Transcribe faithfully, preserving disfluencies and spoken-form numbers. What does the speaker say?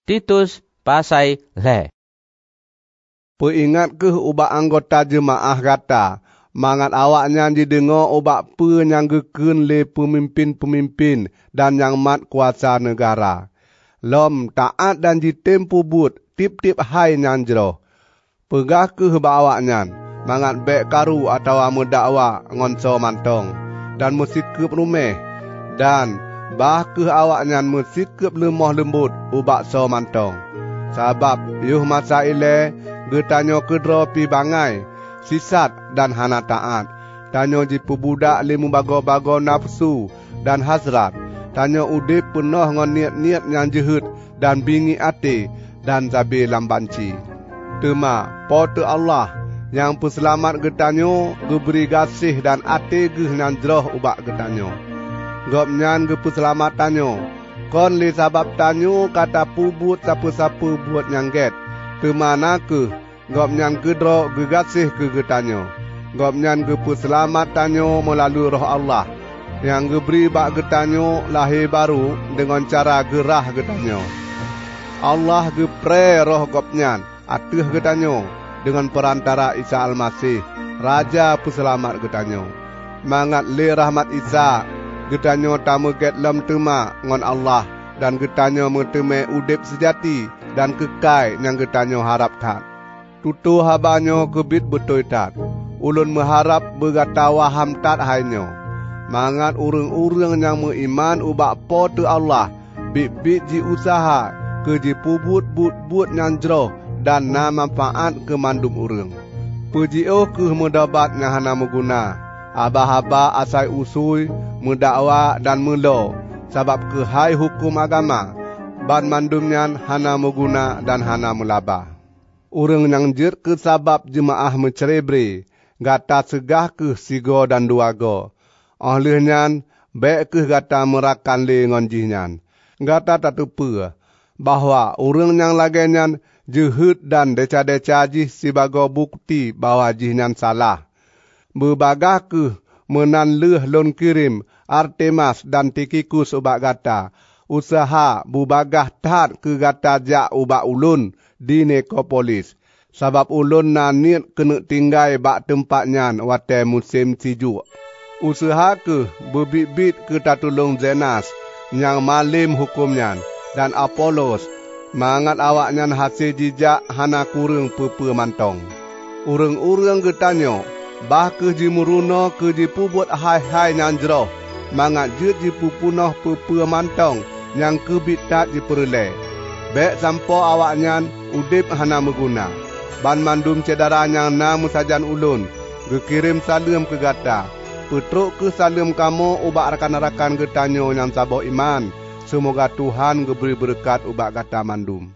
Titus pasai lhée. Peuingat kheueh ubak anggota jeumaáh gata, mangat awaknyan jideungoe ubak peue nyang geukheun lé peumimpén-peumimpén dan nyang mat kuasa neugara. Lom taát dan jitem peubuet tieb-tieb hai nyang jroh. Peugah kheueh bak awaknyan mangat bék karu atawa meudakwa ngon soe mantong, dan meusikeueb ruméh, dan bah kheueh awaknyan meusikeueb leumoh leumbot ubak soe mantong. Sabab yoh masa ilée geutanyoe keudroe pih bangai, sisat dan hana taát. Tanyoe jipeubudak lé meubagoe-bagoe nafeusu dan hasrat. Tanyoe udeb peunoh ngon niet-niet nyang jeuhet dan bingiek até dan sabe lam banci. Teuma Po teu Allah nyang peuseulamat geutanyoe geubri gaséh dan até geuh nyang jroh ubak geutanyoe. Gobnyan geupeuseulamat tanyoe, kon lé sabab tanyoe ka tapeubuet sapeue-sapeue buet nyang gét, teuma na kheueh Gobnyan keudroe geugaséh keu geutanyoe. Gobnyan geupeuseulamat tanyoe meulalu Roh Allah, nyang geubri bak geutanyoe lahé barô deungon cara geurhah geutanyoe. Allah geuprée Roh Gobnyan ateueh geutanyoe deungon peurantara Isa Almaseh, Raja Peuseulamat geutanyoe, mangat lé rahmat Isa geutanyoe tameugét lom teuma ngon Allah dan geutanyoe meuteumé udeb seujati dan keukai nyang geutanyoe harab that. Tutoe haba nyoe keubiet beutôi that. Ulôn meuharab beugata waham that hai nyoe, mangat ureuëng-ureuëng nyang meuiman ubak Po teu Allah biet-biet jiuseuha keu jipeubuet buet-buet nyang jroh dan na manfaát keu mandum ureuëng. Peujiôh kheueh meudobat nyang hana meuguna, haba-haba asai usui, meudakwa dan meulo sabab keuhai huköm agama, banmandum nyan hana meuguna dan hana meulaba. Ureuëng nyang jeuet keu sabab jeumaáh meucré-bré, gata seugah kheueh sigoe dan dua goe. Óh lheueh nyan, bék kheueh gata meurakan lé ngon jihnyan. Gata tateupeue bahwa ureuëng nyang lagée nyan jeuhet dan desya-desya jih sibagoe bukeuti bahwa jihnyan salah. Beubagaih kheueh meunan lheueh lôn kirém Artemas dan Tikhikus ubak gata, useuha beubagaih that keu gata jak ubak ulôn di Nikopolis, sabab ulôn na niet keuneuk tinggai bak teumpat nyan watée musém sijuek. Useuha kheueh beubiet-biet keu tatulông Zenas nyang malém huköm nyan, dan Apolos, mangat awaknyan hase jijak hana kureueng peue-peue mantong. Ureuëng-ureuëng geutanyoe bah kheueh jimeurunoe keu jipeubuet hai-hai nyang jroh, mangat jeuet jipeupunoh peue-peue mantong nyang keubiet that jipeureulée. Bék sampoe awaknyan udeb hana meuguna. Banmandum syedara nyang na meusajan ulôn geukirém saleuem keu gata. Peutrok kheueh saleuem kamoe ubak rakan-rakan geutanyoe nyang saboh iman. Seumoga Tuhan geubri beureukat ubak gata mandum.